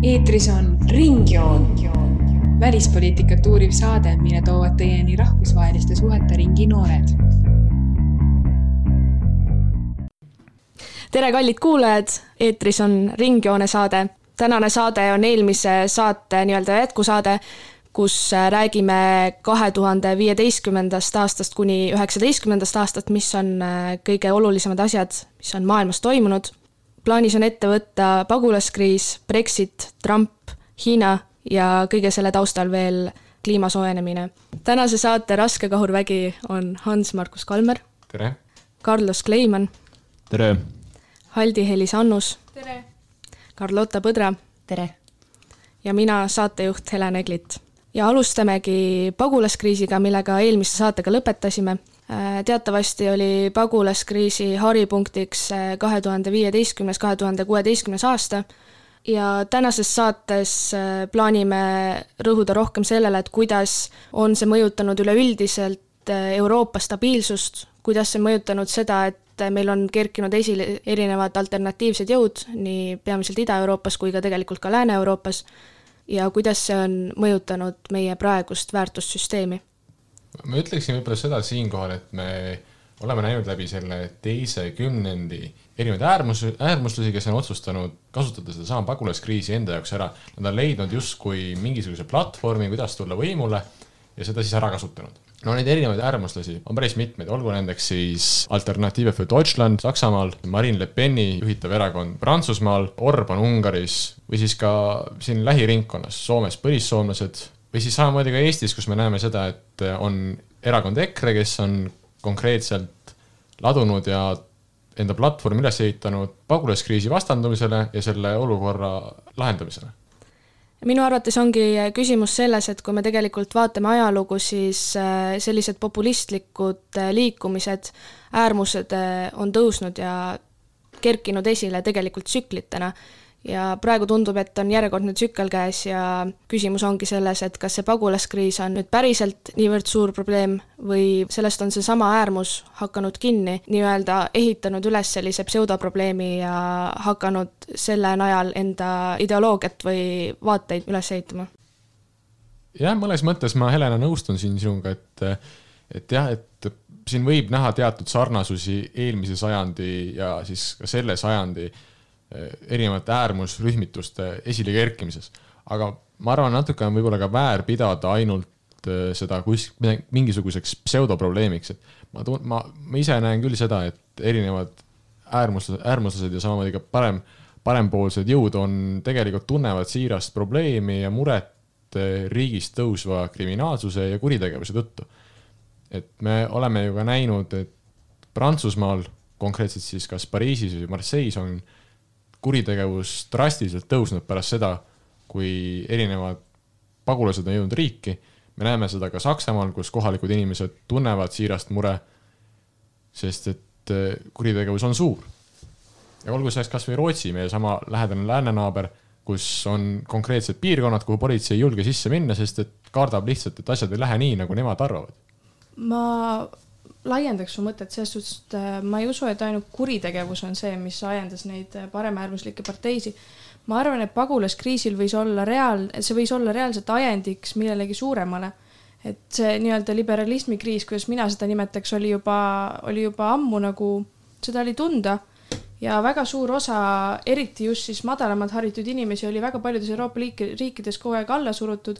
Eetris on Ringjoon, välispoliitikat uuriv saade, mille toovad teieni rahvusvaheliste suhete ringi noored. Tere kallid kuulajad, eetris on Ringjoone saade. Tänane saade on eelmise saate jätkusaade, kus räägime 2015. aastast kuni 2019. aastat, mis on kõige olulisemad asjad, mis on maailmas toimunud. Plaanis on ette võtta pagulaskriis, Brexit, Trump, Hiina ja kõige selle taustal veel kliimasoojenemine. Tänase saate raske kahurvägi on Hans-Markus Kalmer. Tere. Carlos Kleiman. Tere. Haldi-Helis Annus. Tere. Carlota Põdra. Tere. Ja mina saatejuht Helen Eglit. Ja alustamegi pagulaskriisiga, millega eelmise saatega lõpetasime. Teatavasti oli pagulaskriisi haripunktiks 2015-2016 aasta ja tänases saates plaanime rõhuda rohkem sellele, et kuidas on see mõjutanud üleüldiselt Euroopa stabiilsust, kuidas see mõjutanud seda, et meil on kerkinud esile erinevad alternatiivsed jõud nii peamiselt Ida-Euroopas kui ka tegelikult ka Lääne-Euroopas ja kuidas see on mõjutanud meie praegust väärtussüsteemi. Ma ütleksin võib-olla seda siinkohal, et me oleme näinud läbi selle teise kümnendi erinevaid äärmuslusi, kes on otsustanud kasutada seda sama pagulaskriisi enda jaoks ära. Nad on leidnud justkui mingisuguse platvormi, kuidas tulla võimule ja seda siis ära kasutanud. No neid erinevaid äärmuslusi on päris mitmeid, olgu nendeks siis Alternative für Deutschland Saksamaal, Marine Le Peni juhitav erakond Prantsusmaal, Orban Ungaris või siis ka siin lähiringkonnas Soomes põlissoomlased või siis samamoodi ka Eestis, kus me näeme seda, et on erakond EKRE, kes on konkreetselt ladunud ja enda platvormi üles ehitanud pagulaskriisi vastandumisele ja selle olukorra lahendamisele. Minu arvates ongi küsimus selles, et kui me tegelikult vaatame ajalugu, siis sellised populistlikud liikumised, äärmused on tõusnud ja kerkinud esile tegelikult tsüklitena. Ja praegu tundub, et on järjekordne tsükkel käes ja küsimus ongi selles, et kas see pagulaskriis on nüüd päriselt niivõrd suur probleem või sellest on see sama äärmus hakanud kinni, nii-öelda ehitanud üles sellise pseudoprobleemi ja hakanud selle najal enda ideoloogiat või vaateid üles ehitama. Jah, mõnes mõttes ma Helena nõustun siin sinuga, et siin võib näha teatud sarnasusi eelmise sajandi ja siis ka selle sajandi erinevate äärmusrühmituste esile kerkimises. Aga ma arvan, natuke on võib-olla ka väär pidada ainult seda mingisuguseks pseudoprobleemiks. Et ma ise näen küll seda, et erinevad äärmuslased ja samamoodi ka parempoolsed jõud on tegelikult tunnevad siirast probleemi ja muret riigist tõusva kriminaalsuse ja kuritegevuse tõttu. Et me oleme ju ka näinud, et Prantsusmaal, konkreetselt siis kas Pariisis või Marseilles on kuritegevus drastiliselt tõusnud pärast seda, kui erinevad pagulased on jõudnud riiki. Me näeme seda ka Saksamaal, kus kohalikud inimesed tunnevad siirast mure, sest et kuritegevus on suur. Ja olgu selleks kas või Rootsi, meie sama lähedane läänenaaber, kus on konkreetsed piirkonnad, kuhu politsei ei julge sisse minna, sest et kardab lihtsalt, et asjad ei lähe nii, nagu nemad arvavad. Ma laiendaks su mõtet selles suhtes, et ma ei usu, et ainult kuritegevus on see, mis ajendas neid paremäärmuslikke parteisi. Ma arvan, et pagulaskriisil võis olla reaalselt ajendiks millelegi suuremale. Et see nii-öelda liberalismi kriis, kuidas mina seda nimetaks, oli juba ammu nagu seda oli tunda ja väga suur osa, eriti just siis madalamalt haritud inimesi oli väga paljudes Euroopa riikides kogu aeg alla surutud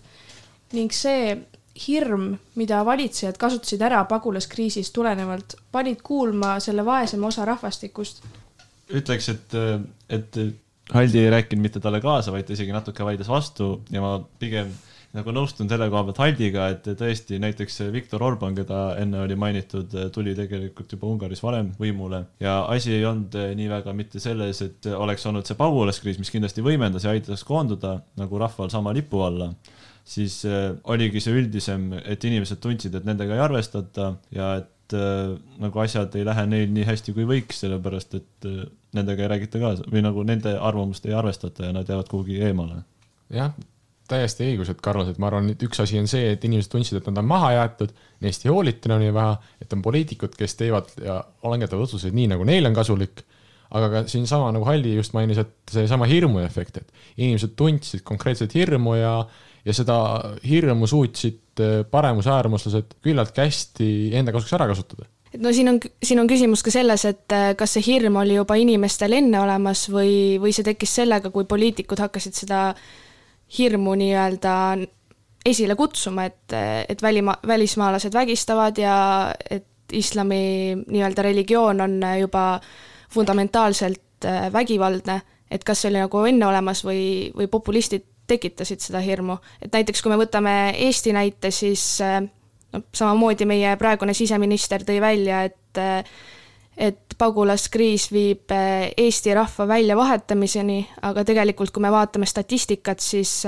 ning see hirm, mida valitsejad kasutasid ära pagulaskriisist tulenevalt, panid kuulma selle vaesema osa rahvastikust. Ütleks, et Haldi ei rääkinud mitte talle kaasa, vaid isegi natuke vaidles vastu ja ma pigem nagu nõustun selle koha pealt Haldiga, et tõesti näiteks Viktor Orban, keda enne oli mainitud, tuli tegelikult juba Ungaris varem võimule ja asi ei olnud nii väga mitte selles, et oleks olnud see pagulaskriis, mis kindlasti võimendas ja aitas koonduda nagu rahval sama lipu alla, siis oligi see üldisem, et inimesed tundsid, et nendega ei arvestata ja et nagu asjad ei lähe neil nii hästi kui võiks, sellepärast et nendega ei räägita kaasa või nagu nende arvamust ei arvestata ja nad jäävad kuhugi eemale. Jah, täiesti õigus, et Carlos, et ma arvan, et üks asi on see, et inimesed tundsid, et nad on maha jäetud, neist ei hoolitina nii vähe, et on poliitikud, kes teevad ja langetavad otsuseid nii, nagu neil on kasulik, aga ka siin sama nagu Halli just mainis, et see sama hirmu efekt, et inimesed tundsid konkreetselt hirmu ja seda hirmu suutsid paremusäärmuslased küllalt hästi enda kasuks ära kasutada. Et no siin on küsimus ka selles, et kas see hirm oli juba inimestel enne olemas või see tekkis sellega, kui poliitikud hakkasid seda hirmu nii-öelda esile kutsuma, et välismaalased vägistavad ja et islami nii-öelda religioon on juba fundamentaalselt vägivaldne, et kas see oli nagu enne olemas või populistid tekitasid seda hirmu. Et näiteks kui me võtame Eesti näite, siis samamoodi meie praegune siseminister tõi välja, et pagulaskriis viib Eesti rahva välja vahetamiseni, aga tegelikult kui me vaatame statistikat, siis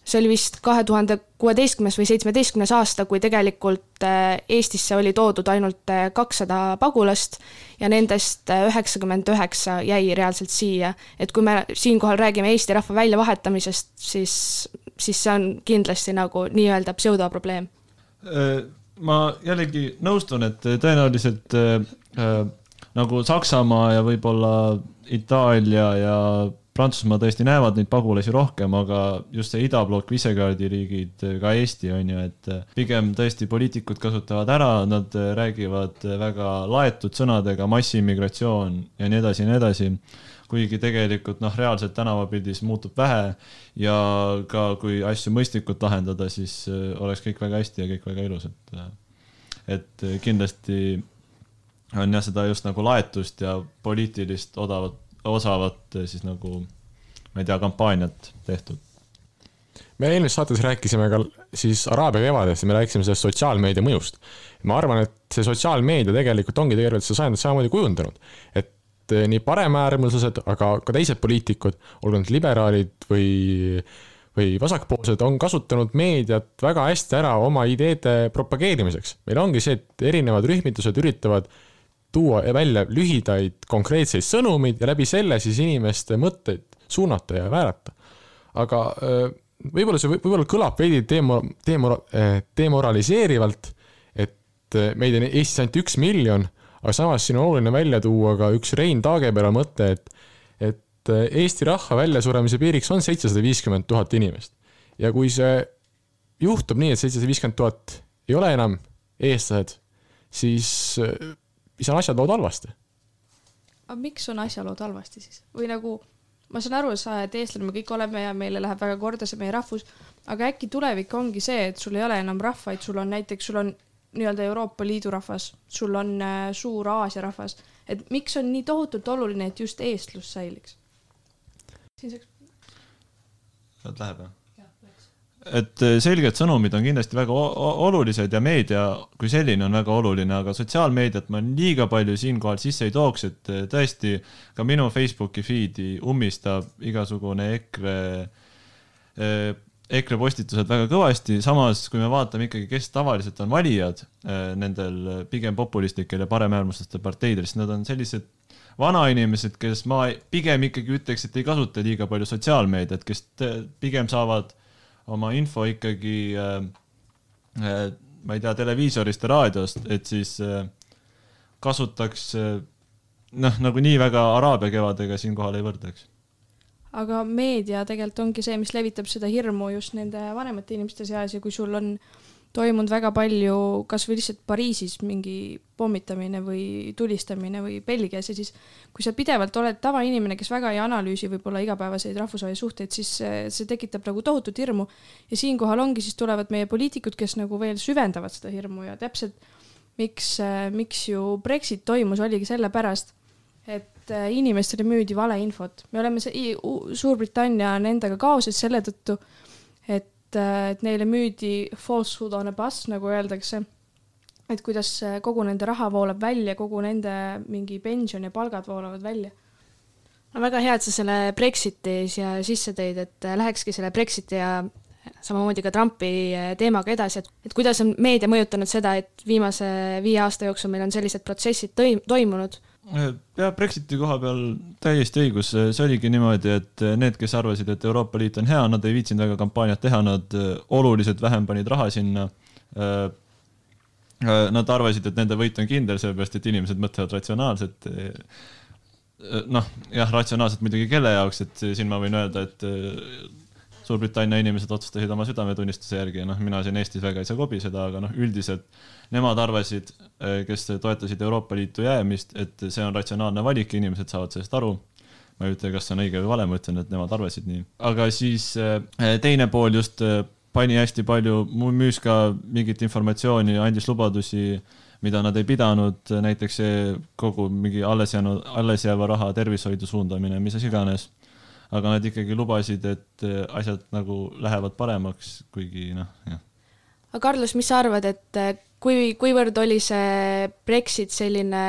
see oli vist 2016. või 17. aasta, kui tegelikult Eestisse oli toodud ainult 200 pagulast ja nendest 99 jäi reaalselt siia. Et kui me siinkohal räägime Eesti rahva väljavahetamisest, siis see on kindlasti nagu nii-öelda pseudoprobleem. Ma jällegi nõustun, et tõenäoliselt nagu Saksamaa ja võib-olla Itaalia ja Prantsusmaa tõesti näevad neid pagulasi rohkem, aga just see idablokk, Visegradi riigid, ka Eesti on ju, et pigem tõesti poliitikud kasutavad ära, nad räägivad väga laetud sõnadega, massiimmigratsioon ja nii edasi, kuigi tegelikult reaalselt tänavapildis muutub vähe ja ka kui asju mõistlikult lahendada, siis oleks kõik väga hästi ja kõik väga ilus, et kindlasti on seda just nagu laetust ja poliitilist osavat siis nagu, ma ei tea, kampaaniat tehtud. Me eelmises saates rääkisime ka siis Araabia kevadest ja me rääkisime sellest sotsiaalmeedia mõjust. Ma arvan, et see sotsiaalmeedia tegelikult ongi tegelikult see sajandit samamoodi kujundanud. Et nii paremäärmuslased, aga ka teised poliitikud, olgu need liberaalid või vasakpoolsed, on kasutanud meediat väga hästi ära oma ideede propageerimiseks. Meil ongi see, et erinevad rühmitused üritavad tuua välja lühidaid konkreetseid sõnumid ja läbi selle siis inimeste mõtteid suunata ja väärata. Aga võib-olla kõlab veidi demoraliseerivalt, et meid on Eestis ainult 1 miljon, aga samas siin on oluline välja tuua ka üks Rein Taagepera mõte, et Eesti rahva väljasuremise piiriks on 750 000 inimest. Ja kui see juhtub nii, et 750 000 ei ole enam eestlased, siis on asjalood halvasti. Aga miks on asjalood halvasti siis? Või nagu, ma saan aru, et eestlane me kõik oleme ja meile läheb väga korda see meie rahvus, aga äkki tulevik ongi see, et sul ei ole enam rahvaid, sul on nii-öelda Euroopa Liidu rahvas, sul on suur Aasia rahvas, et miks on nii tohutult oluline, et just eestlus säiliks? Läheb, jah? Et selged sõnumid on kindlasti väga olulised ja meedia kui selline on väga oluline, aga sotsiaalmeediat ma liiga palju siinkohal sisse ei tooks, et tõesti ka minu Facebooki feedi ummistab igasugune EKRE postitused väga kõvasti, samas kui me vaatame ikkagi, kes tavaliselt on valijad nendel pigem populistlikel ja paremäärmuslastel parteidel, siis nad on sellised vanainimesed, kes ma pigem ikkagi ütleks, et ei kasuta liiga palju sotsiaalmeediat, kes pigem saavad oma info ikkagi, ma ei tea, televiisorist ja raadiost, et siis kasutaks, nagu nii väga Araabia kevadega siinkohal ei võrdleks. Aga meedia tegelikult ongi see, mis levitab seda hirmu just nende vanemate inimeste seas ja kui sul on toimunud väga palju, kas või lihtsalt Pariisis mingi pommitamine või tulistamine või Belgias ja siis kui sa pidevalt oled tavainimene, kes väga ei analüüsi võib-olla igapäevaseid rahvusvahelisi suhteid, siis see tekitab nagu tohutut hirmu ja siinkohal ongi, siis tulevad meie poliitikud, kes nagu veel süvendavad seda hirmu ja täpselt miks ju Brexit toimus, oligi selle pärast, et inimestele müüdi valeinfot. Me oleme Suurbritannia nendega kaoses selle tõttu, et neile müüdi falsehood on a bus, nagu öeldakse, et kuidas kogu nende raha voolab välja, kogu nende mingi pension ja palgad voolavad välja. No väga hea, et sa selle Brexiti siia sisse tõid, et lähekski selle Brexiti ja samamoodi ka Trumpi teemaga edasi, et kuidas on meedia mõjutanud seda, et viimase 5 aasta jooksul meil on sellised protsessid toimunud. Ja Brexiti koha peal täiesti õigus, see oligi niimoodi, et need, kes arvasid, et Euroopa Liit on hea, nad ei viitsinud väga kampaaniat teha, nad oluliselt vähem panid raha sinna. Nad arvasid, et nende võit on kindel, sellepärast, et inimesed mõtlevad ratsionaalselt. jah, ratsionaalselt muidugi kelle jaoks, et siin ma võin öelda, et Suurbritannia inimesed otsustasid oma südametunnistuse järgi ja mina siin Eestis väga ei saa kobiseda, aga üldiselt nemad arvasid, kes toetasid Euroopa Liitu jäämist, et see on ratsionaalne valik, inimesed saavad sellest aru. Ma ei ütle, kas see on õige või vale, ma ütlen, et nemad arvasid nii. Aga siis teine pool just pani hästi palju, müüs ka mingit informatsiooni, andis lubadusi, mida nad ei pidanud, näiteks kogu mingi alles jääva raha tervishoidu suundamine, mis iganes. Aga nad ikkagi lubasid, et asjad nagu lähevad paremaks, kuigi jah. Aga Carlos, mis sa arvad, et kuivõrd oli see Brexit selline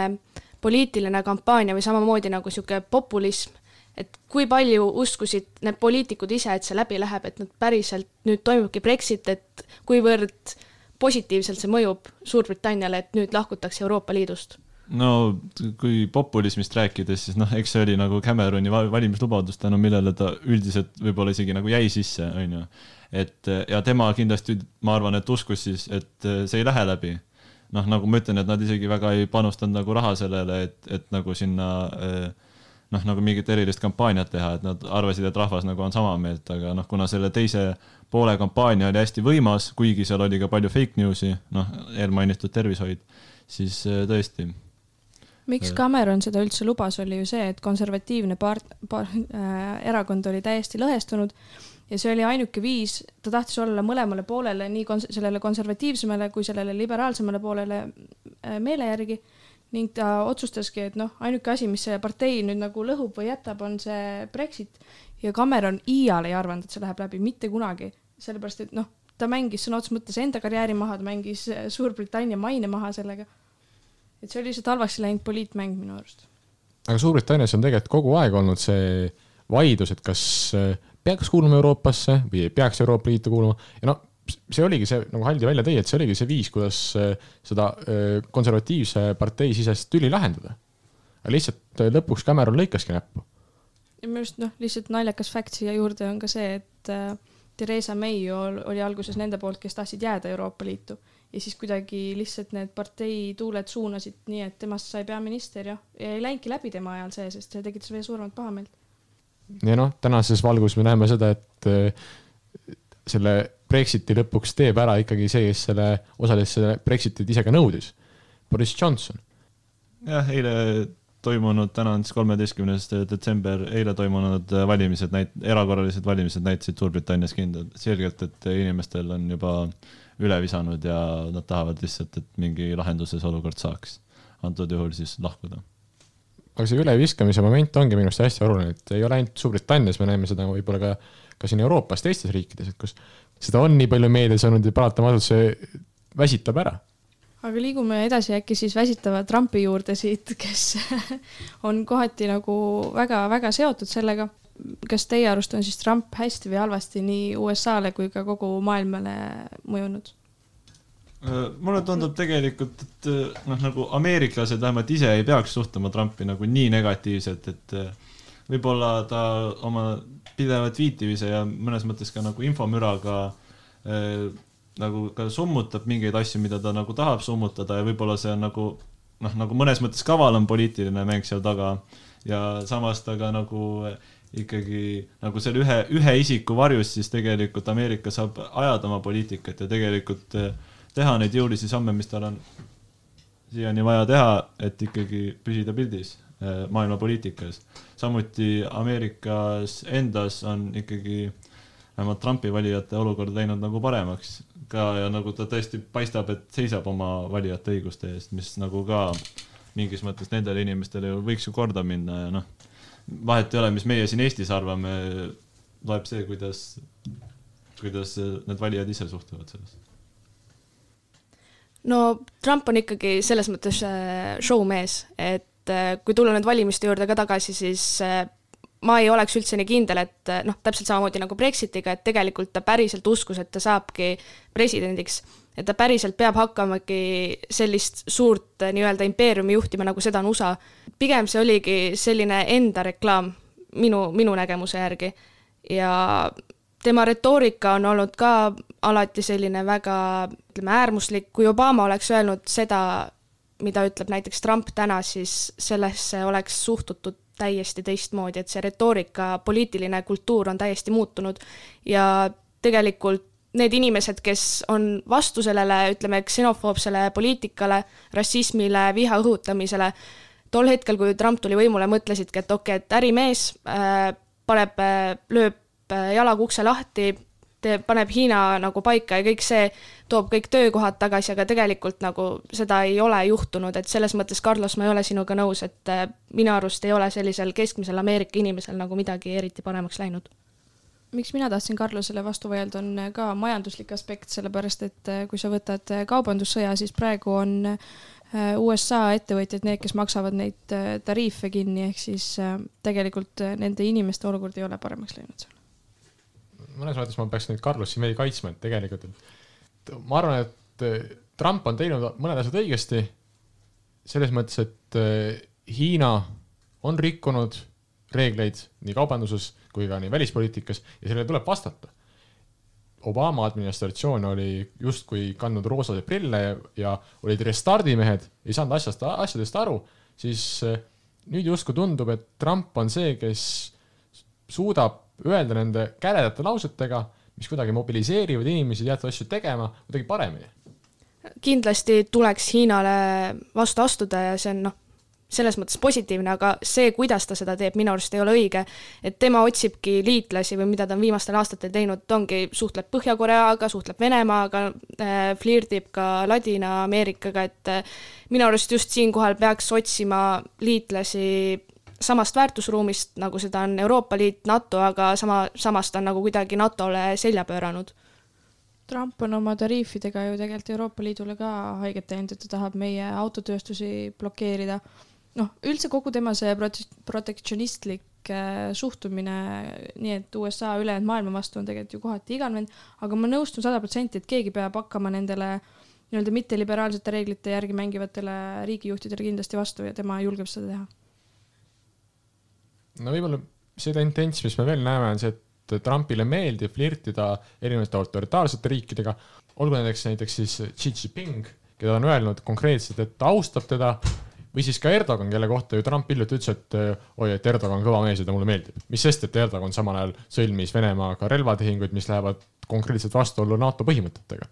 poliitiline kampaania või samamoodi nagu siuke populism, et kui palju uskusid need poliitikud ise, et see läbi läheb, et nad päriselt nüüd toimubki Brexit, et kuivõrd positiivselt see mõjub Suurbritanniale, et nüüd lahkutakse Euroopa Liidust? No kui populismist rääkides, siis eks see oli nagu Cameroni valimislubadus, tänu millele ta üldiselt võib-olla isegi nagu jäi sisse, on ju. Ja tema kindlasti, ma arvan, et uskus siis, et see ei lähe läbi. Nagu ma ütlen, et nad isegi väga ei panustanud nagu raha sellele, et nagu sinna nagu mingit erilist kampaaniat teha, et nad arvasid, et rahvas nagu on sama meelt, aga kuna selle teise poole kampaania oli hästi võimas, kuigi seal oli ka palju fake newsi, eelmainitud tervishoid, siis tõesti. Miks Cameron seda üldse lubas, oli ju see, et konservatiivne erakond oli täiesti lõhestunud ja see oli ainuke viis, ta tahtis olla mõlemale poolele, nii sellele konservatiivsemale kui sellele liberaalsemale poolele meele järgi ning ta otsustaski, et ainuke asi, mis see partei nüüd nagu lõhub või jätab, on see Brexit ja Cameron iial ei arvanud, et see läheb läbi mitte kunagi, sellepärast, et ta mängis sõna otseses mõttes enda karjääri maha, ta mängis Suurbritannia maine maha sellega. Et see oli lihtsalt halvasti läinud poliitmäng minu arust. Aga Suurbritannias on tegelikult kogu aeg olnud see vaidlus, et kas peaks kuuluma Euroopasse või ei peaks Euroopa Liitu kuuluma. Ja see oligi see, nagu Haldi välja tõi, et see oligi see viis, kuidas seda konservatiivse partei sisest tüli lahendada. Aga lihtsalt lõpuks Cameron lõikaski näppu. Ja minu arust lihtsalt naljakas fakt siia juurde on ka see, et Theresa May oli alguses nende poolt, kes tahtsid jääda Euroopa Liitu. Ja siis kuidagi lihtsalt need partei tuuled suunasid nii, et temast sai peaminister ja ei läinki läbi tema ajal see, sest see tekitas veel suuremat pahameelt. Ja tänases valgus me näeme seda, et selle Brexiti lõpuks teeb ära ikkagi see, kes selle osales selle Brexitit ise ka nõudis. Boris Johnson. Jah, eile toimunud, täna on 13. detsember, eile toimunud valimised, erakorralised valimised näitasid Suurbritannias selgelt, et inimestel on juba üle visanud ja nad tahavad lihtsalt, et mingi lahenduses olukord saaks. Antud juhul siis lahkuda. Aga see üleviskamise moment ongi minust hästi oluline, et ei ole ainult Suurbritannias, me näeme seda võib-olla ka siin Euroopas, teistes riikides, et kus seda on nii palju meedias olnud ja paratamatult see väsitab ära. Aga liigume edasi äkki siis väsitava Trumpi juurde siit, kes on kohati nagu väga seotud sellega. Kas teie arust on siis Trump hästi või halvasti nii USA-le kui ka kogu maailmale mõjunud? Mulle tundub tegelikult, et nagu ameeriklased vähemalt ise ei peaks suhtuma Trumpi nagu nii negatiivselt, et võib-olla ta oma pideva tweetivise ja mõnes mõttes ka nagu infomüraga nagu ka summutab mingeid asju, mida ta nagu tahab summutada ja võib-olla see on nagu mõnes mõttes kavalam poliitiline mäng seal taga ja samas ta ka nagu ikkagi nagu selle ühe isiku varjus siis tegelikult Ameerika saab ajada oma poliitikat ja tegelikult teha neid jõulisi samme, mis tal on siiani vaja teha, et ikkagi püsida pildis maailma poliitikas. Samuti Ameerikas endas on ikkagi vähemalt Trumpi valijate olukord läinud nagu paremaks ka ja nagu ta tõesti paistab, et seisab oma valijate õiguste eest, mis nagu ka mingis mõttes nendele inimestele võiks ju korda minna ja vahet ei ole, mis meie siin Eestis arvame, loeb see, kuidas need valijad ise suhtuvad sellest. No Trump on ikkagi selles mõttes showmees, et kui tulla nüüd valimiste juurde ka tagasi, siis ma ei oleks üldse nii kindel, et täpselt samamoodi nagu Brexitiga, et tegelikult ta päriselt uskus, et ta saabki presidendiks, et ta päriselt peab hakkamagi sellist suurt nii-öelda impeeriumi juhtima, nagu seda on USA. Pigem see oligi selline enda reklaam minu nägemuse järgi ja tema retoorika on olnud ka alati selline väga äärmuslik. Kui Obama oleks öelnud seda, mida ütleb näiteks Trump täna, siis sellesse oleks suhtutud täiesti teistmoodi, et see retoorika, poliitiline kultuur on täiesti muutunud ja tegelikult need inimesed, kes on vastu sellele, ütleme, ksenofoobsele poliitikale, rassismile, viha õhutamisele, tol hetkel, kui Trump tuli võimule, mõtlesidki, et okei, et ärimees lööb jalaga ukse lahti, paneb Hiina nagu paika ja kõik see toob kõik töökohad tagasi, aga tegelikult nagu seda ei ole juhtunud, et selles mõttes, Carlos, ma ei ole sinuga nõus, et minu arust ei ole sellisel keskmisel Ameerika inimesel nagu midagi eriti paremaks läinud. Miks mina tahtsin Carlosele vastu vaielda, on ka majanduslik aspekt, sellepärast et kui sa võtad kaubandussõja, siis praegu on USA ettevõtjad need, kes maksavad neid tariife kinni, ehk siis tegelikult nende inimeste olukord ei ole paremaks läinud seal. Mõnes mõttes ma peaks nüüd Carlosi veidi kaitsma, et tegelikult ma arvan, et Trump on teinud mõned asjad õigesti selles mõttes, et Hiina on rikkunud reegleid nii kaubanduses kui ka nii välispoliitikas ja sellele tuleb vastata. Obama administratsioon oli justkui kandnud roosade prille ja olid restardimehed, ei saanud asjadest aru, siis nüüd justkui tundub, et Trump on see, kes suudab öelda nende käledate lausetega, mis kuidagi mobiliseerivad inimesi teatud asju tegema kuidagi paremini. Kindlasti tuleks Hiinale vastu astuda ja see on selles mõttes positiivne, aga see, kuidas ta seda teeb, minu arust ei ole õige, et tema otsibki liitlasi või mida ta on viimastel aastatel teinud, ta ongi suhtleb Põhja-Koreaga, suhtleb Venemaaga, flirdib ka Ladina-Ameerikaga, et minu arust just siinkohal peaks otsima liitlasi samast väärtusruumist, nagu seda on Euroopa Liit, NATO, aga samast on nagu kuidagi NATO-le selja pööranud. Trump on oma tariifidega ju tegelikult Euroopa Liidule ka haiget teinud, et ta tahab meie autotööstusi blokeerida. Üldse kogu tema see protektsionistlik suhtumine, nii et USA ülejäänud maailma vastu on tegelikult ju kohati iganvend, aga ma nõustun 100%, et keegi peab hakkama nendele nii-öelda mitteliberaalsete reeglite järgi mängivatele riigijuhtidele kindlasti vastu ja tema julgeb seda teha. Võib-olla see tendents, mis me veel näeme, on see, et Trumpile meeldib flirtida erinevate autoritaarsete riikidega, olgu näiteks siis Xi Jinping, keda on öelnud konkreetselt, et ta austab teda, või siis ka Erdogan, kelle kohta ju Trump hiljuti ütles, et Erdogan on kõva mees ja ta mulle meeldib. Mis sest, et Erdogan samal ajal sõlmis Venemaaga relvatehinguid, mis lähevad konkreetselt vastuollu NATO põhimõtetega.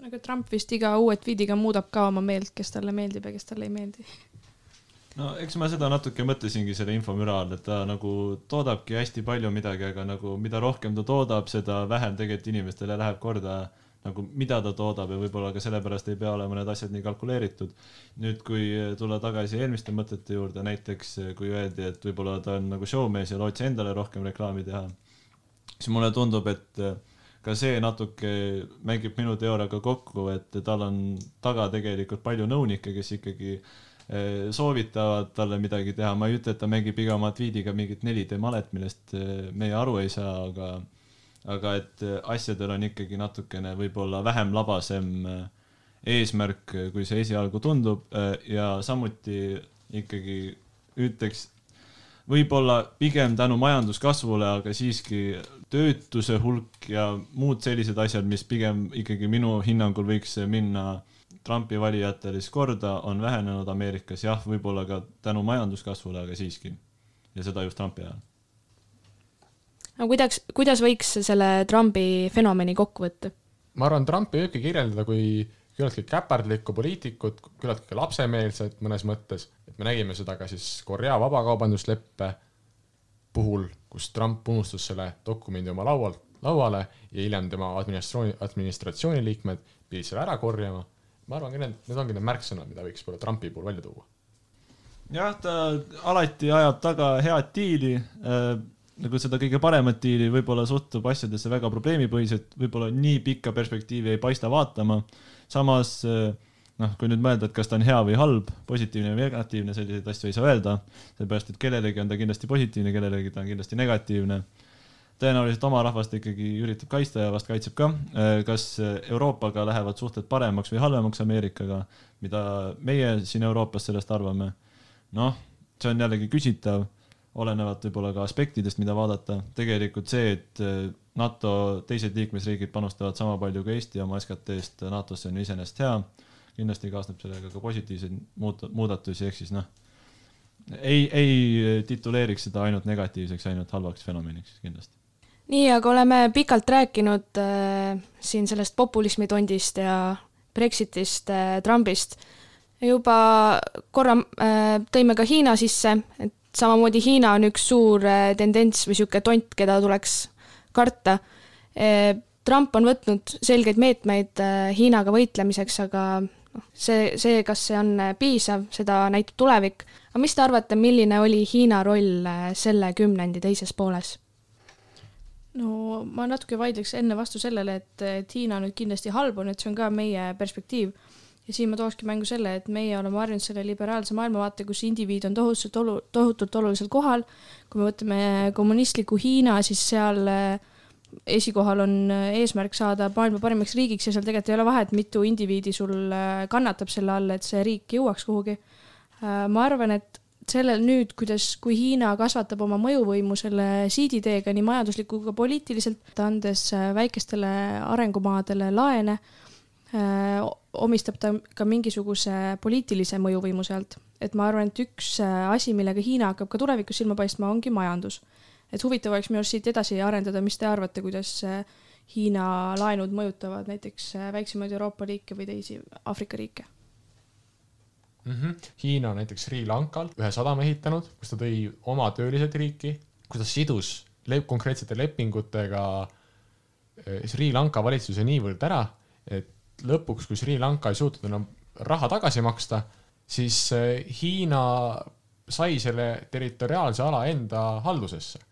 Aga Trump vist iga uue tweetiga muudab ka oma meelt, kes talle meeldib ja kes talle ei meeldi. Eks ma seda natuke mõtlesingi selle infomüra all, et ta nagu toodabki hästi palju midagi, aga nagu mida rohkem ta toodab, seda vähem tegelikult inimestele läheb korda, nagu mida ta toodab ja võib-olla ka sellepärast ei pea olema need asjad nii kalkuleeritud. Nüüd, kui tulla tagasi eelmiste mõtete juurde, näiteks kui öeldi, et võib-olla ta on nagu showmees ja lootsi endale rohkem reklaami teha, siis mulle tundub, et ka see natuke mängib minu teooriaga kokku, et tal on taga tegelikult palju nõunikke, kes ikkagi soovitavad talle midagi teha. Ma ei ütle, et ta mängib iga oma tweetiga mingit 4D malet, millest meie aru ei saa, aga et asjadel on ikkagi natukene võib-olla vähem labasem eesmärk, kui see esialgu tundub ja samuti ikkagi ütleks võib-olla pigem tänu majanduskasvule, aga siiski töötuse hulk ja muud sellised asjad, mis pigem ikkagi minu hinnangul võiks minna Trumpi valijatele korda, on vähenenud Ameerikas, jah, võib-olla ka tänu majanduskasvule, aga siiski. Ja seda just Trumpi ajal. No, kuidas võiks selle Trumpi fenomeni kokku võtta? Ma arvan, Trumpi võibki kirjeldada kui küllaltki käpardlikku poliitikut, küllaltki lapsemeelset mõnes mõttes. Et me nägime seda ka siis Korea vabakaubandusleppe puhul, kus Trump unustas selle dokumendi oma lauale ja hiljem tema administratsiooni liikmed pidid selle ära korjama. Ma arvan, need ongi need märksõnad, mida võiks pole Trumpi puhul välja tuua. Jah, ta alati ajab taga head diili, nagu seda kõige paremat diili, võib-olla suhtub asjadesse väga probleemipõhiselt, võib-olla nii pikka perspektiivi ei paista vaatama. Samas, kui nüüd mõelda, et kas ta on hea või halb, positiivne või negatiivne, selliseid asju ei saa öelda, sellepärast, et kellelegi on ta kindlasti positiivne, kellelegi ta on kindlasti negatiivne. Tõenäoliselt oma rahvast ikkagi üritab kaitsta ja vast kaitseb ka. Kas Euroopaga lähevad suhted paremaks või halvemaks Ameerikaga, mida meie siin Euroopas sellest arvame? See on jällegi küsitav, olenevad võib-olla ka aspektidest, mida vaadata. Tegelikult see, et NATO teised liikmesriigid panustavad sama palju kui Eesti oma SKT-st NATO-sse on iseenesest hea. Kindlasti kaasneb sellega ka positiivseid muudatusi, ehk siis ei tituleeriks seda ainult negatiivseks, ainult halvaks fenomeniks kindlasti. Nii, aga oleme pikalt rääkinud siin sellest populismitondist ja Brexitist, Trumpist. Juba korra tõime ka Hiina sisse, et samamoodi Hiina on üks suur tendents või siuke tont, keda tuleks karta. Trump on võtnud selgeid meetmeid Hiinaga võitlemiseks, aga see, kas see on piisav, seda näitab tulevik. Aga mis te arvate, milline oli Hiina roll selle kümnendi teises pooles? No ma natuke vaidleks enne vastu sellele, et Hiina nüüd kindlasti halb on, et see on ka meie perspektiiv. Ja siin ma tookski mängu selle, et meie oleme harjunud selle liberaalse maailmavaate, kus indiviid on tohutult olulisel kohal. Kui me võtame kommunistliku Hiina, siis seal esikohal on eesmärk saada maailma parimaks riigiks ja seal tegelikult ei ole vahet, mitu indiviidi sul kannatab selle all, et see riik jõuaks kuhugi. Ma arvan, et sellel nüüd, kui Hiina kasvatab oma mõjuvõimu selle siiditeega nii majandusliku kui poliitiliselt, andes väikestele arengumaadele laene, omistab ta ka mingisuguse poliitilise mõjuvõimu sealt. Et ma arvan, et üks asi, millega Hiina hakkab ka tulevikus silma paistma, ongi majandus. Et huvitav oleks minu siit edasi arendada, mis te arvate, kuidas Hiina laenud mõjutavad näiteks väiksemaid Euroopa riike või teisi Afrika riike? Hiina näiteks Sri Lankal ühe sadama ehitanud, kus ta tõi oma töölised riiki, kus ta sidus konkreetsete lepingutega Sri Lanka valitsuse niivõrd ära, et lõpuks, kui Sri Lanka ei suutnud enam raha tagasi maksta, siis Hiina sai selle territoriaalse ala enda haldusesse.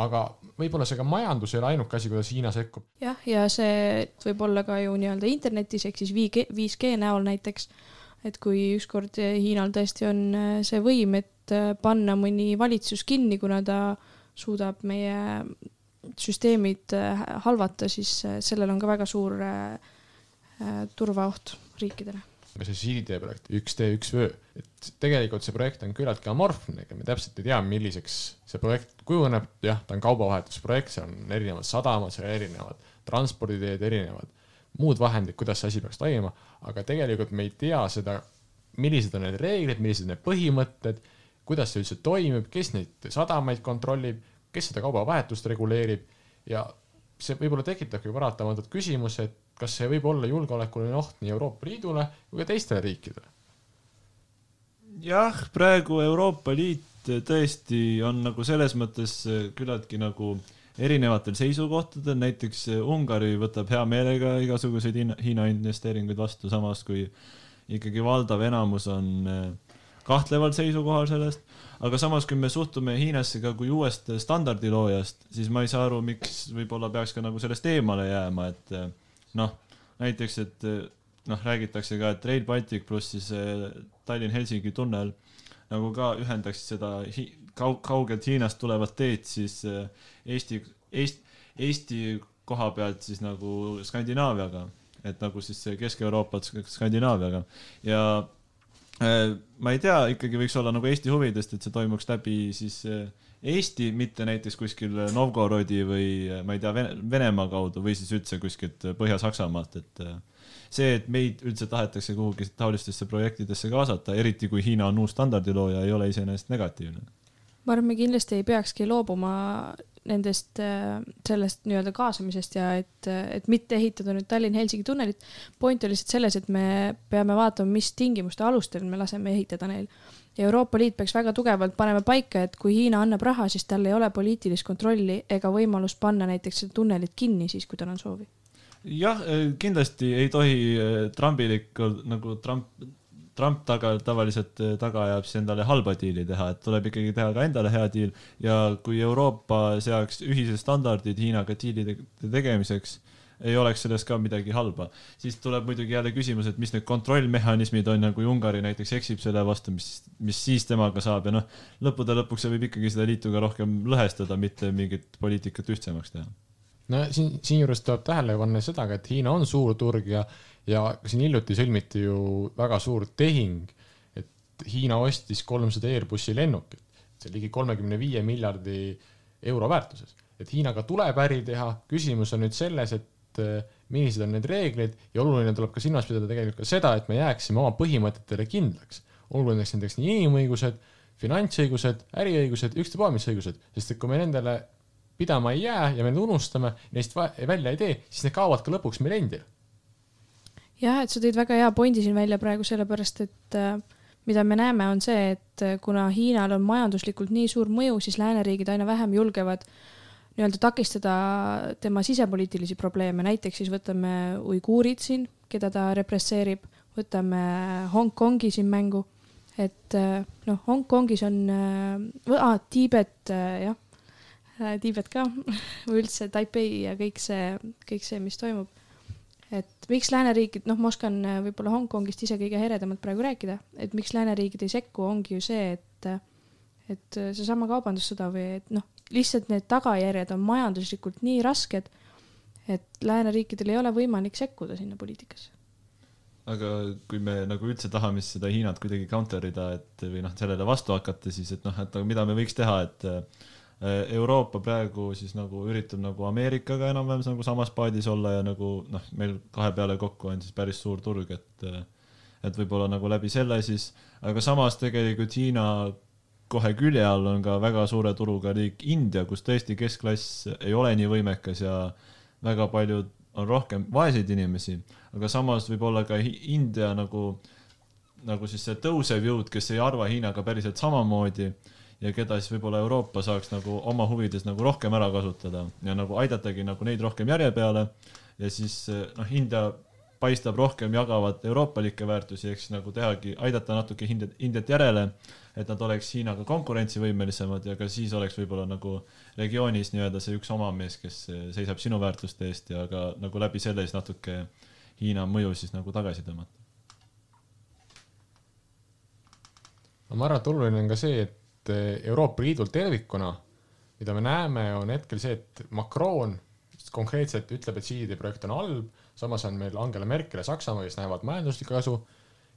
Aga võib-olla see ka majandus ei ole ainuke asi, kuidas Hiina sekkub. Jah, ja see võib olla ka ju nii-öelda internetis, ehk siis 5G näol näiteks, et kui ükskord Hiinal tõesti on see võim, et panna mõni valitsus kinni, kuna ta suudab meie süsteemid halvata, siis sellel on ka väga suur turvaoht riikidele. See siiditeeprojekt 1D1Ö, et tegelikult see projekt on küllaltki amorfne, me täpselt ei tea, milliseks see projekt kujuneb, jah, ta on kaubavahetusprojekt, see on erinevad sadamad, see on erinevad transporditeed, erinevad muud vahendid, kuidas see asi peaks toimuma, aga tegelikult me ei tea seda, millised on need reeglid, millised need põhimõtted, kuidas see üldse toimib, kes neid sadamaid kontrollib, kes seda kaubavahetust reguleerib ja see võib-olla tekitabki paratamatult küsimus, et kas see võib olla julgeolekuline oht nii Euroopa Liidule kui ka teistele riikidele? Jah, praegu Euroopa Liit tõesti on nagu selles mõttes küllaltki nagu erinevatel seisukohtadel, näiteks Ungari võtab hea meelega igasuguseid Hiina investeeringuid vastu, samas kui ikkagi valdav enamus on kahtleval seisukohal sellest, aga samas kui me suhtume Hiinasse ka kui uuest standardiloojast, siis ma ei saa aru, miks võib-olla peaks ka nagu sellest eemale jääma, et näiteks, et räägitakse ka, et Rail Baltic pluss siis Tallinn-Helsingi tunnel nagu ka ühendaks seda kaugelt Hiinast tulevat teed siis Eesti koha pealt siis nagu Skandinaaviaga, et nagu siis Kesk-Euroopat Skandinaaviaga ja ma ei tea, ikkagi võiks olla nagu Eesti huvidest, et see toimuks läbi siis Eesti, mitte näiteks kuskil Novgorodi või ma ei tea, Venemaa kaudu või siis üldse kuskilt Põhja-Saksamaalt, et see, et meid üldse tahetakse kuhugi taolistesse projektidesse kaasata, eriti kui Hiina on uus standardilooja, ei ole iseenesest negatiivne. Ma arvan, me kindlasti ei peakski loobuma nendest sellest nii-öelda kaasamisest ja et mitte ehitada nüüd Tallinn-Helsingi tunnelit. Point oli lihtsalt selles, et me peame vaatama, mis tingimuste alustel me laseme ehitada neil. Ja Euroopa Liit peaks väga tugevalt panema paika, et kui Hiina annab raha, siis tal ei ole poliitilist kontrolli ega võimalust panna näiteks tunnelit kinni siis, kui tal on soovi. Jah, kindlasti ei tohi Trumpilikul, nagu Trump tavaliselt taga ajab siis endale halba diili teha, et tuleb ikkagi teha ka endale hea diil ja kui Euroopa seaks ühised standardid Hiinaga diilide tegemiseks, ei oleks sellest ka midagi halba. Siis tuleb muidugi jälle küsimus, et mis need kontrollmehhanismid on ja kui Ungari näiteks eksib selle vastu, mis siis temaga saab ja lõppude lõpuks see võib ikkagi seda liitu ka rohkem lõhestada, mitte mingit poliitikat ühtsemaks teha. No siin juures tuleb tähele panna seda, et Hiina on suur turg ja siin hiljuti sõlmiti ju väga suur tehing, et Hiina ostis 300 Airbussi lennukit, see ligi 35 miljardi euro väärtuses. Et Hiinaga tuleb äri teha, küsimus on nüüd selles, et millised on need reeglid ja oluline tuleb ka silmas pidada tegelikult ka seda, et me jääksime oma põhimõtetele kindlaks. Oluline näiteks nii inimõigused, finantsõigused, äriõigused, ükstapuha mis õigused, sest et kui me nendele pidama ei jää ja me need unustame, neist välja ei tee, siis need kaovad ka lõpuks meil endil. Jah, et sa tõid väga hea pointi siin välja praegu sellepärast, et mida me näeme on see, et kuna Hiinal on majanduslikult nii suur mõju, siis lääneriigid aina vähem julgevad nii-öelda takistada tema sisepoliitilisi probleeme. Näiteks siis võtame uiguurid siin, keda ta represseerib, võtame Hongkongi siin mängu, et Hongkongis on Tiibet, jah, Tiibet ka, üldse Taipei ja kõik see, mis toimub. Et miks lääneriigid, Moskva on võib-olla Hongkongist ise kõige heredamalt praegu rääkida, et miks lääneriigid ei sekku, ongi ju see, et see sama kaubandussõda või et lihtsalt need tagajärjed on majanduslikult nii rasked, et lääneriikidel ei ole võimalik sekkuda sinna poliitikasse. Aga kui me nagu üldse tahame seda Hiinat kuidagi counterida, et või sellele vastu hakata, siis et mida me võiks teha, et Euroopa praegu siis nagu üritab nagu Ameerikaga enam-vähem nagu samas paadis olla ja nagu meil kahe peale kokku on siis päris suur turg, et võib-olla nagu läbi selle siis, aga samas tegelikult Hiina kohe külje all on ka väga suure turuga riik India, kus tõesti keskklass ei ole nii võimekas ja väga paljud on rohkem vaeseid inimesi, aga samas võib olla ka India nagu siis see tõusev jõud, kes ei arva Hiinaga päriselt samamoodi ja keda siis võib-olla Euroopa saaks nagu oma huvides nagu rohkem ära kasutada ja nagu aidatagi nagu neid rohkem järje peale ja siis India paistab rohkem jagavat euroopalikke väärtusi, eks nagu tehagi, aidata natuke Indiat järele, et nad oleks Hiinaga konkurentsivõimelisemad ja ka siis oleks võib-olla nagu regioonis nii-öelda see üks oma mees, kes seisab sinu väärtuste eest ja ka nagu läbi selle siis natuke Hiina mõju siis nagu tagasi tõmmata. Ma arvan, et oluline on ka see, et Euroopa Liidul tervikuna, mida me näeme, on hetkel see, et Macron konkreetselt ütleb, et siidide projekt on halb, samas on meil Angela Merkel ja Saksamaa, kes näevad majanduslikku kasu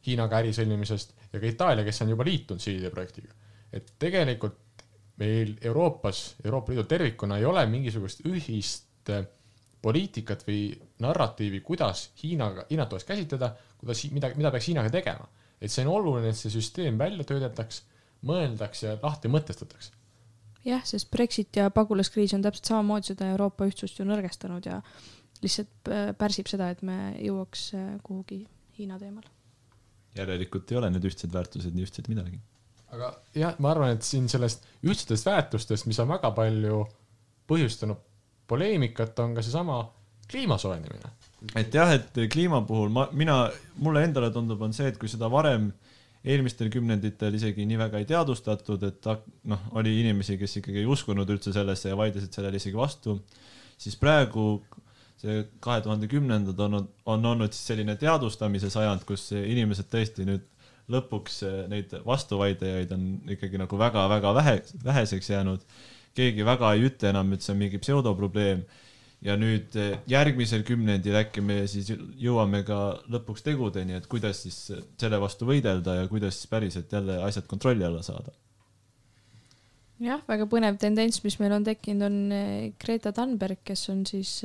Hiinaga äri sõlmimisest ja ka Itaalia, kes on juba liitunud siidide projektiga. Et tegelikult meil Euroopa Liidu tervikuna ei ole mingisugust ühist poliitikat või narratiivi, kuidas Hiinat tuleks käsitleda, mida peaks Hiinaga tegema. Et see on oluline, et see süsteem välja töödeldaks, mõeldaks ja lahti mõtestatakse. Jah, sest Brexit ja pagulaskriis on täpselt samamoodi seda Euroopa ühtsust ju nõrgestanud ja lihtsalt pärsib seda, et me jõuaks kuhugi Hiina teemal. Järelikult ei ole need ühtsed väärtused nii ühtsed midagi. Aga jah, ma arvan, et siin sellest ühtsetest väärtustest, mis on väga palju põhjustanud poleemikat, on ka see sama kliimasoojenemine. Et jah, et kliima puhul mulle endale tundub on see, et kui seda varem eelmistel kümnenditel isegi nii väga ei teadustatud, et oli inimesi, kes ikkagi ei uskunud üldse sellesse ja vaidlesid sellele isegi vastu, siis praegu see 2010-ndad on olnud siis selline teadustamise sajand, kus inimesed tõesti nüüd lõpuks neid vastuvaidejaid on ikkagi nagu väga-väga väheseks jäänud. Keegi väga ei ütle enam, et see on mingi pseudoprobleem. Ja nüüd järgmisel kümnendil äkki me siis jõuame ka lõpuks tegudeni, et kuidas siis selle vastu võidelda ja kuidas siis päriselt jälle asjad kontrolli alla saada. Jah, väga põnev tendents, mis meil on tekkinud, on Greta Thunberg, kes on siis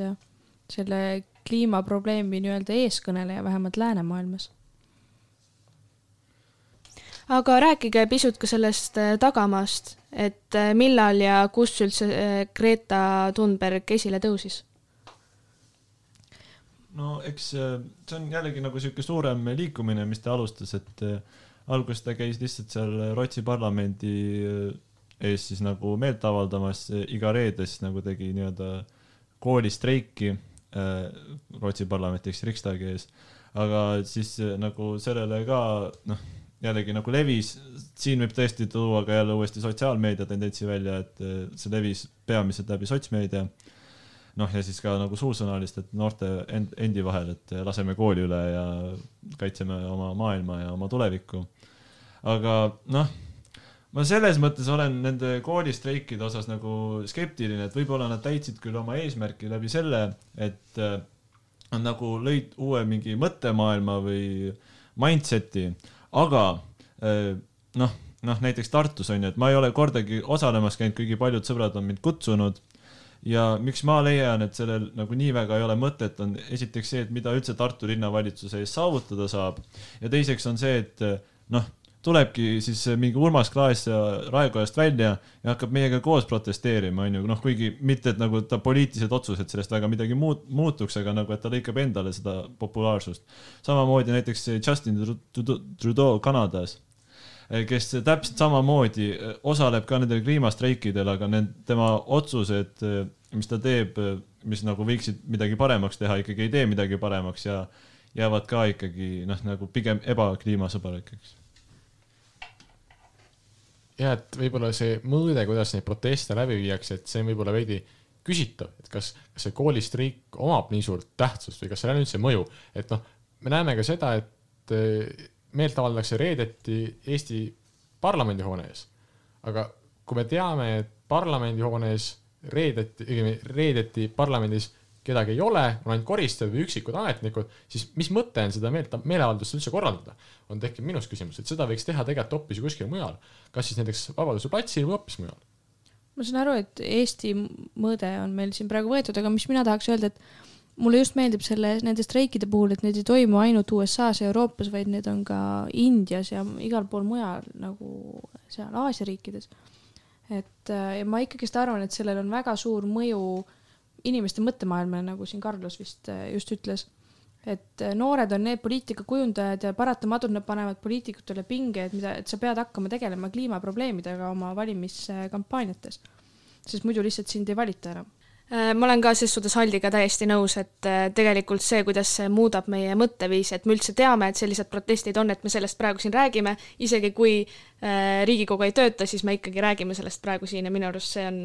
selle kliimaprobleemi nii-öelda eeskõneleja vähemalt läänemaailmas. Aga rääkige pisut ka sellest tagamaast, et millal ja kus üldse Greta Thunberg esile tõusis? No eks see on jällegi nagu selline suurem liikumine, mis ta alustas, et alguses ta käis lihtsalt seal Rootsi parlamendi ees siis nagu meelt avaldamas, iga reedes nagu tegi nii-öelda koolistreiki Rootsi parlamenti ehk Riksdagi ees, aga siis nagu sellele ka jällegi nagu levis, siin võib tõesti tuua ka jälle uuesti sotsiaalmeedia tendentsi välja, et see levis peamiselt läbi sotsmeedia, ja siis ka nagu suusõnalist, et noorte endi vahel, et laseme kooli üle ja kaitseme oma maailma ja oma tulevikku. Aga ma selles mõttes olen nende koolistreikide osas nagu skeptiline, et võib-olla nad täitsid küll oma eesmärki läbi selle, et on nagu lõid uue mingi mõttemaailma või mindseti, aga näiteks Tartus on ju, et ma ei ole kordagi osalemas käinud, kuigi paljud sõbrad on mind kutsunud ja miks ma leian, et sellel nagu nii väga ei ole mõtet, on esiteks see, et mida üldse Tartu linnavalitsus ees saavutada saab ja teiseks on see, et tulebki siis mingi Urmas Klaas ja Raekojast välja ja hakkab meiega koos protesteerima, on ju, noh, kuigi mitte, et nagu ta poliitilised otsused sellest väga midagi muutuks, aga nagu, et ta lõikab endale seda populaarsust. Samamoodi näiteks Justin Trudeau Kanadas, kes täpselt samamoodi osaleb ka nendel kliimastreikidel, aga tema otsused, mis ta teeb, mis nagu võiksid midagi paremaks teha, ikkagi ei tee midagi paremaks ja jäävad ka ikkagi, noh, nagu pigem ebakliimasõbralikeks. Ja, et võib-olla see mõõde, kuidas neid proteste läbi viiakse, et see on võib-olla veidi küsitav, et kas see koolistreik omab nii suurt tähtsust või kas seal on üldse mõju, et noh, me näeme ka seda, et meelt avaldakse reedeti Eesti parlamendihoone ees, aga kui me teame, et parlamendihoone ees reedeti parlamendis kedagi ei ole, on ainult koristajad või üksikud ametnikud, siis mis mõte on seda meeleavaldust üldse korraldada? On tekkinud minus küsimus, et seda võiks teha tegelikult hoopis kuskil mujal. Kas siis näiteks Vabaduse platsil või hoopis mujal? Ma saan aru, et Eesti mõõde on meil siin praegu võetud, aga mis mina tahaks öelda, et mulle just meeldib nende streikide puhul, et need ei toimu ainult USA-s ja Euroopas, vaid need on ka Indias ja igal pool mujal, nagu seal Aasia riikides. Ja ma ikkagist arvan, et sellel on väga suur mõju inimeste mõttemaailmale, nagu siin Carlos vist just ütles, et noored on need poliitikakujundajad ja paratamatult nad panevad poliitikutele pinge, et sa pead hakkama tegelema kliimaprobleemidega oma valimiskampaaniates, sest muidu lihtsalt sind ei valita enam. Ma olen ka ses suhtes Haldiga täiesti nõus, et tegelikult see, kuidas see muudab meie mõtteviisi, et me üldse teame, et sellised protestid on, et me sellest praegu siin räägime, isegi kui Riigikogu ei tööta, siis me ikkagi räägime sellest praegu siin ja minu arust see on,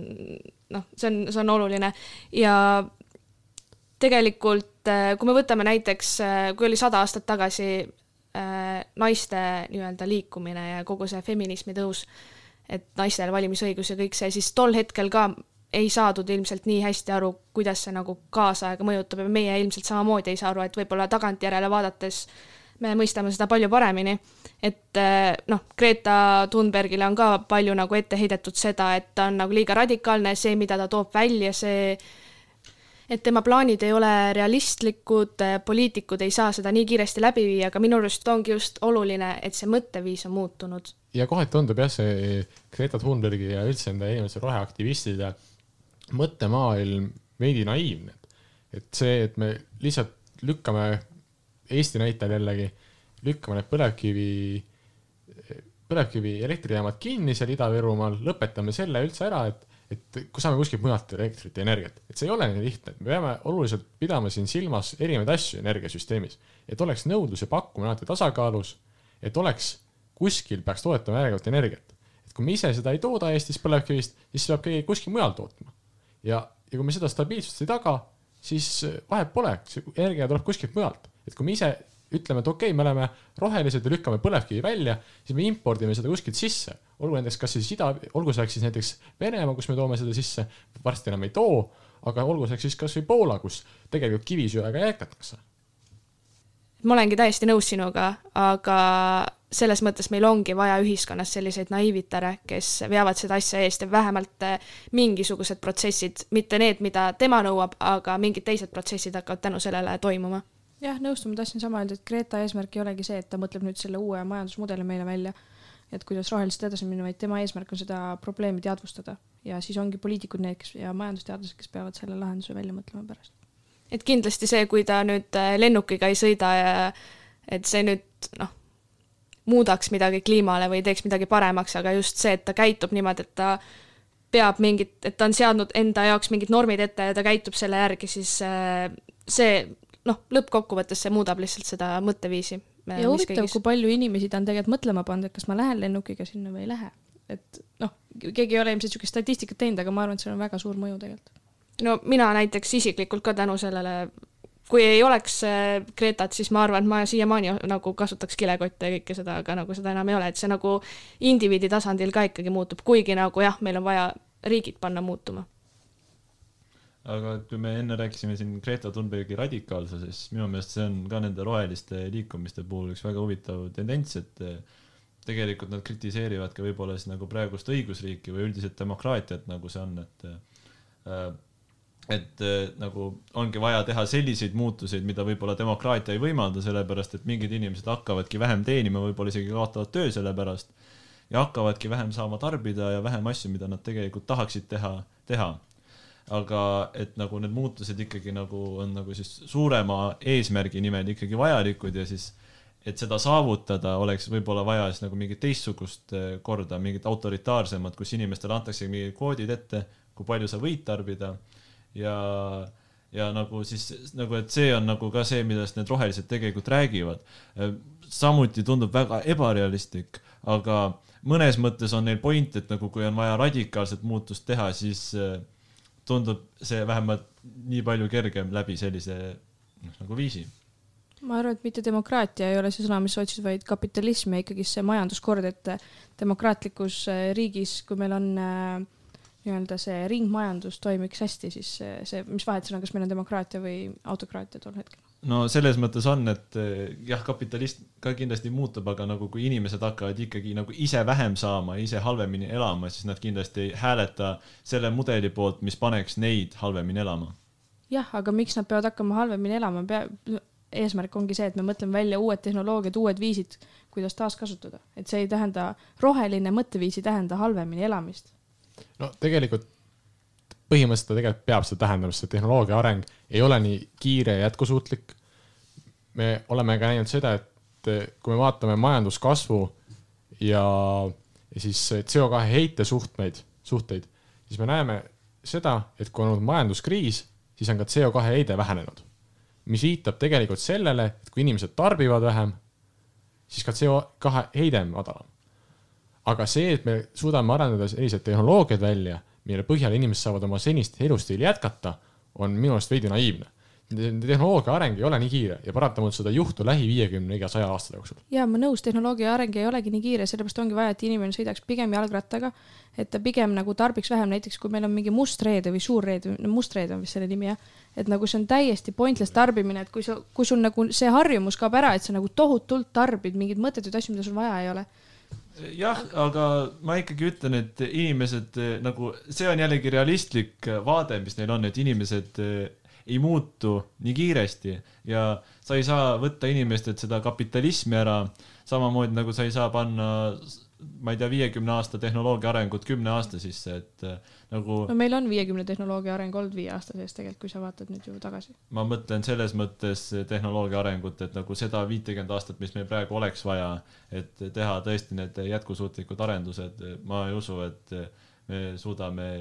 noh, see on oluline. Ja tegelikult, kui me võtame näiteks, kui oli 100 aastat tagasi naiste nii-öelda liikumine ja kogu see feminismi tõus, et naistel valimisõigus ja kõik see, siis tol hetkel ka ei saadud ilmselt nii hästi aru, kuidas see nagu kaasaega mõjutab ja meie ilmselt samamoodi ei saa aru, et võib-olla tagantjärele vaadates me mõistame seda palju paremini, et noh, Greta Thunbergile on ka palju nagu ette heidetud seda, et ta on nagu liiga radikaalne, see, mida ta toob välja, see, et tema plaanid ei ole realistlikud, poliitikud ei saa seda nii kiiresti läbi viia, aga minu arust ongi just oluline, et see mõtteviis on muutunud. Ja kohati tundub jah, see Greta Thunbergi ja üldse enda inimese roheaktivistide mõttemaailm veidi naiivne. Et see, et me lihtsalt lükkame Eesti näitel jällegi, lükkame need põlevkivi elektrijaamad kinni seal Ida-Virumaal, lõpetame selle üldse ära, et kui saame kuskilt mujalt elektrit ja energiat. Et see ei ole nii lihtne, et me peame oluliselt pidama siin silmas erinevaid asju energiasüsteemis. Et oleks nõudlus ja pakkumine alati tasakaalus, et oleks kuskil peaks toetama järgnevat energiat. Et kui me ise seda ei tooda Eestis põlevkivist, siis peab keegi kuskil mujal tootma. Ja kui me seda stabiilsust ei taga, siis vahet pole, see energia tuleb kuskilt mujalt. Et kui me ise ütleme, et okei, me oleme rohelised ja lükkame põlevkivi välja, siis me impordime seda kuskilt sisse. Olgu siis näiteks Venemaa, kus me toome seda sisse, varsti enam ei too, aga olgu siis kas või Poola, kus tegelikult kivisöega jätkatakse. Ma olengi täiesti nõus sinuga, aga selles mõttes meil ongi vaja ühiskonnas selliseid naiivitare, kes veavad seda asja eest ja vähemalt mingisugused protsessid, mitte need, mida tema nõuab, aga mingid teised protsessid hakkavad tänu sellele toimuma. Jah, nõustuma tahtsin sama öelda, et Greta eesmärk ei olegi see, et ta mõtleb nüüd selle uue majandusmudeli meile välja, et kuidas roheliselt edasi minna, vaid tema eesmärk on seda probleemi teadvustada ja siis ongi poliitikud need, kes ja majandusteadlased, kes peavad selle lahenduse välja mõtlema pärast. Et kindlasti see, kui ta nüüd lennukiga ei sõida ja et see nüüd muudaks midagi kliimale või teeks midagi paremaks, aga just see, et ta käitub niimoodi, et ta peab et ta on seadnud enda jaoks mingid normid ette ja ta käitub selle järgi, siis see lõppkokkuvõttes see muudab lihtsalt seda mõtteviisi. Ja huvitav, kui palju inimesi ta on tegelikult mõtlema pannud, et kas ma lähen lennukiga sinna või ei lähe. Et keegi ei ole ilmselt niisugust statistikat teinud, aga ma arvan, et see on väga suur mõju tegelikult. No mina näiteks isiklikult ka tänu sellele, kui ei oleks Gretat, siis ma arvan, et ma siiamaani nagu kasutaks kilekotte ja kõike seda, aga nagu seda enam ei ole, et see nagu indiviidi tasandil ka ikkagi muutub, kuigi nagu jah, meil on vaja riigid panna muutuma. Aga kui me enne rääkisime siin Greta Thunbergi radikaalsuses, minu meelest see on ka nende roheliste liikumiste puhul üks väga huvitav tendents, et tegelikult nad kritiseerivad ka võib-olla siis nagu praegust õigusriiki või üldiselt demokraatiat, nagu see on, et nagu ongi vaja teha selliseid muutuseid, mida võib-olla demokraatia ei võimalda, sellepärast et mingid inimesed hakkavadki vähem teenima, võib-olla isegi kaotavad töö selle pärast ja hakkavadki vähem saama tarbida ja vähem asju, mida nad tegelikult tahaksid teha. Aga et nagu need muutused ikkagi nagu on nagu siis suurema eesmärgi nimel ikkagi vajalikud ja siis et seda saavutada oleks võib-olla vaja siis nagu mingit teistsugust korda, mingit autoritaarsemat, kus inimestele antakse mingid koodid ette, kui palju sa võid tarbida ja nagu siis nagu, et see on nagu ka see, millest need rohelised tegelikult räägivad. Samuti tundub väga ebarealistlik, aga mõnes mõttes on neil point, et nagu kui on vaja radikaalset muutust teha, siis tundub see vähemalt nii palju kergem läbi sellise nagu viisi. Ma arvan, et mitte demokraatia ei ole see sõna, mis otsid, vaid kapitalism ja ikkagi see majanduskord, et demokraatlikus riigis, kui meil on nii-öelda see ringmajandus toimiks hästi, siis see, mis vahet on, kas meil on demokraatia või autokraatia tol hetkel? No selles mõttes on, et jah, kapitalist ka kindlasti muutub, aga nagu kui inimesed hakkavad ikkagi nagu ise vähem saama, ise halvemini elama, siis nad kindlasti ei hääleta selle mudeli poolt, mis paneks neid halvemini elama. Jah, aga miks nad peavad hakkama halvemini elama? Eesmärk ongi see, et me mõtleme välja uued tehnoloogiad, uued viisid, kuidas taaskasutada. Et see ei tähenda, roheline mõtteviisi tähenda halvemini elamist. No tegelikult põhimõtteliselt tegelikult peab seda tähendama, sest tehnoloogia areng ei ole nii kiire ja jätkusuutlik. Me oleme ka näinud seda, et kui me vaatame majanduskasvu ja siis CO2 heite suhteid, siis me näeme seda, et kui on olnud majanduskriis, siis on ka CO2 heide vähenenud. Mis viitab tegelikult sellele, et kui inimesed tarbivad vähem, siis ka CO2 heide on madalam. Aga see, et me suudame arendada sellised tehnoloogiad välja, mille põhjal inimesed saavad oma senist elustiili jätkata, on minu arust veidi naiivne. Tehnoloogia areng ei ole nii kiire ja paratamalt seda juhtu lähi 50-100 aasta jooksul. Ja ma nõus, tehnoloogia areng ei olegi nii kiire, sellepärast ongi vaja, et inimene sõidaks pigem jalgrattaga, et ta pigem nagu tarbiks vähem, näiteks kui meil on mingi mustreede või suurreede, mustreede on vist selle nimi, et nagu see on täiesti pointless tarbimine, et kui sul nagu see harjumus kaob ära, et sa nagu tohutult tarbid mingid mõttetud asju, mida sul vaja ei ole. Jah, aga ma ikkagi ütlen, et inimesed nagu, see on jällegi realistlik vaade, mis neil on, et inimesed ei muutu nii kiiresti ja sa ei saa võtta inimestelt seda kapitalismi ära, samamoodi nagu sa ei saa panna, ma ei tea, 50 aasta tehnoloogia arengut 10 aasta sisse, et nagu... No meil on 50 tehnoloogia areng olnud 5 aasta sees tegelikult, kui sa vaatad nüüd ju tagasi. Ma mõtlen selles mõttes tehnoloogia arengut, et nagu seda 50 aastat, mis meil praegu oleks vaja, et teha tõesti need jätkusuutlikud arendused, ma ei usu, et me suudame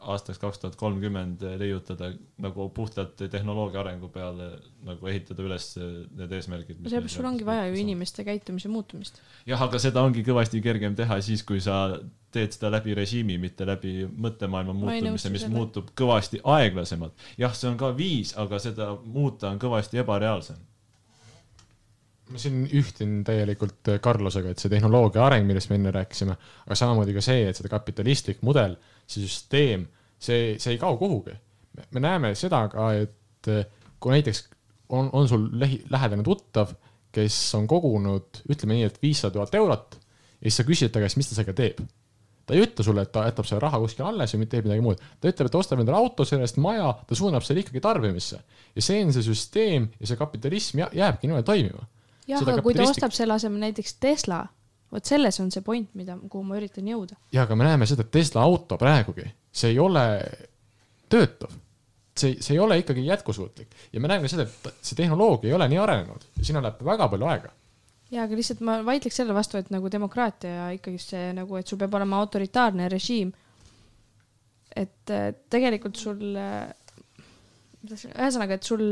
aastaks 2030 leiutada nagu puhtalt tehnoloogia arengu peale nagu ehitada üles need eesmärgid. Seepärast sul ongi vaja ju inimeste käitumise muutumist. Jah, aga seda ongi kõvasti kergem teha siis, kui sa teed seda läbi režiimi, mitte läbi mõttemaailma muutumise, mis muutub kõvasti aeglasemalt. Jah, see on ka viis, aga seda muuta on kõvasti ebareaalsem. Ma siin ühtin täielikult Carlosega, et see tehnoloogia areng, millest me enne rääkisime, aga samamoodi ka see, et seda kapitalistlik mudel, see süsteem, see ei kao kuhugi. Me näeme seda ka, et kui näiteks on sul lähedane tuttav, kes on kogunud, ütleme nii, et 500 000 eurot ja siis sa küsid ta käest, mis ta sellega teeb. Ta ei ütle sulle, et ta jätab selle raha kuskil alles või teeb midagi muud. Ta ütleb, et ta ostab endale auto, sellest maja, ta suunab selle ikkagi tarbimisse. Ja see on see süsteem ja see kapitalism jääbki niimoodi toimima. Jah, aga kui ta ostab selle asemel näiteks Tesla, võt selles on see point, kuhu ma üritan jõuda. Ja, aga me näeme seda, et Tesla auto praegugi, see ei ole töötav. See ei ole ikkagi jätkusuutlik. Ja me näeme seda, et see tehnoloogia ei ole nii arenenud ja sinna läheb väga palju aega. Ja, aga lihtsalt ma vaidleks selle vastu, et nagu demokraatia ja ikkagi see, nagu, et sul peab olema autoritaarne režiim. Et tegelikult sul, ühesõnaga, et sul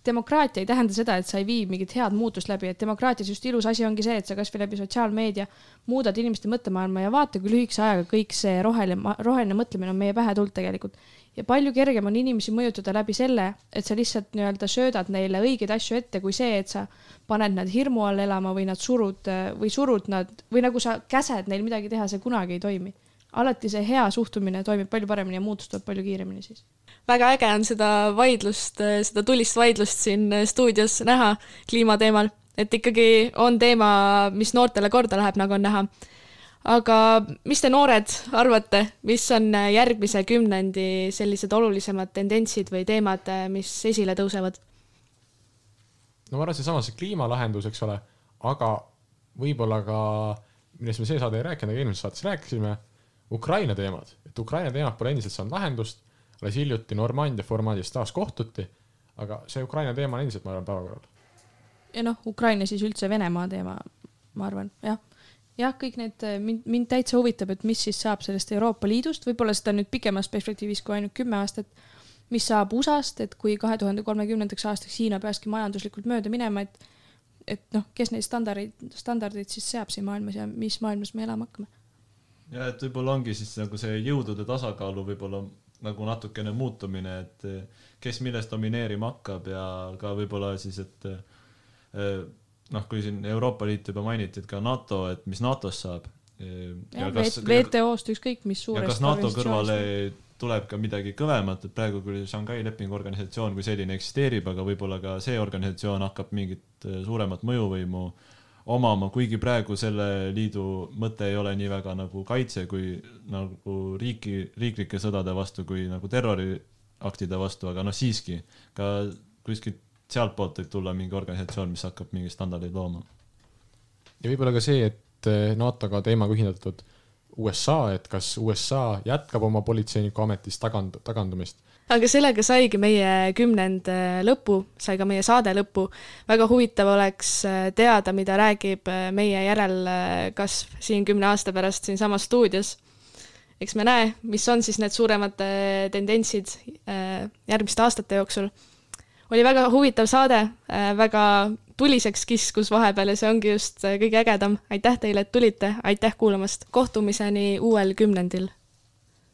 demokraatia ei tähenda seda, et sa ei vii mingit head muutust läbi, et demokraatias just ilus asi ongi see, et sa kas või läbi sotsiaalmeedia muudad inimeste mõttemaailma ja vaata, kui lühikese ajaga kõik see roheline mõtlemine on meie pähe tulnud tegelikult. Ja palju kergem on inimesi mõjutada läbi selle, et sa lihtsalt nii-öelda söödad neile õigeid asju ette, kui see, et sa paned nad hirmu all elama või nad surud nad, või nagu sa käsed neil midagi teha, see kunagi ei toimi. Alati see hea suhtumine toimib palju paremini ja muutus tuleb palju kiiremini siis. Väga äge on seda vaidlust, seda tulist vaidlust siin stuudios näha kliimateemal, et ikkagi on teema, mis noortele korda läheb, nagu on näha. aga mis te noored arvate, mis on järgmise 10 sellised olulisemad tendentsid või teemad, mis esile tõusevad? No ma arvan, see kliimalahendus, eks ole, aga võib-olla ka, millest me see saade ei rääkinud, aga eelmises saates rääkisime, Ukraina teemad. Et Ukraina teemad pole endiselt saanud lahendust, alles hiljuti Normandia formaadis taas kohtuti, aga see Ukraina teema on endiselt, ma arvan, päevakorral. Ja Ukraina siis üldse Venemaa teema, ma arvan, jah. Jah, kõik need, mind täitsa huvitab, et mis siis saab sellest Euroopa Liidust, võib-olla seda nüüd pikemas perspektiivis kui ainult 10 aastat, mis saab USA-st, et kui 2030. aastaks Hiina peakski majanduslikult mööda minema, et kes neid standardid siis seab siin maailmas ja mis maailmas me elama hakkame. Ja et võib-olla ongi siis nagu see jõudude tasakaalu võib-olla nagu natukene muutumine, et kes millest domineerima hakkab ja ka võib-olla siis, et kui siin Euroopa Liit juba mainiti, et ka NATO, et mis NATOs saab. Ja WTO-st ükskõik, mis suurest ja kas NATO kõrvale tuleb ka midagi kõvemat, et praegu küll Shanghai lepingu organisatsioon kui selline eksisteerib, aga võib-olla ka see organisatsioon hakkab mingit suuremat mõjuvõimu omama, kuigi praegu selle liidu mõte ei ole nii väga nagu kaitse kui nagu riiklike sõdade vastu kui nagu terroriaktide vastu, aga siiski ka kuskilt sealt poolt võib tulla mingi organisatsioon, mis hakkab mingi standardeid looma. Ja võib-olla ka see, et NATO-ga teemaga ühindatud USA, et kas USA jätkab oma politseiniku ametist tagandumist. Aga sellega saigi meie 10. lõpu, sai ka meie saade lõpu. Väga huvitav oleks teada, mida räägib meie järelkasv siin 10 aasta pärast siin samas stuudios. Eks me näe, mis on siis need suuremad tendentsid järgmiste aastate jooksul. Oli väga huvitav saade, väga tuliseks kiskus vahepeal ja see ongi just kõige ägedam. Aitäh teile, et tulite, aitäh kuulamast. Kohtumiseni uuel 10.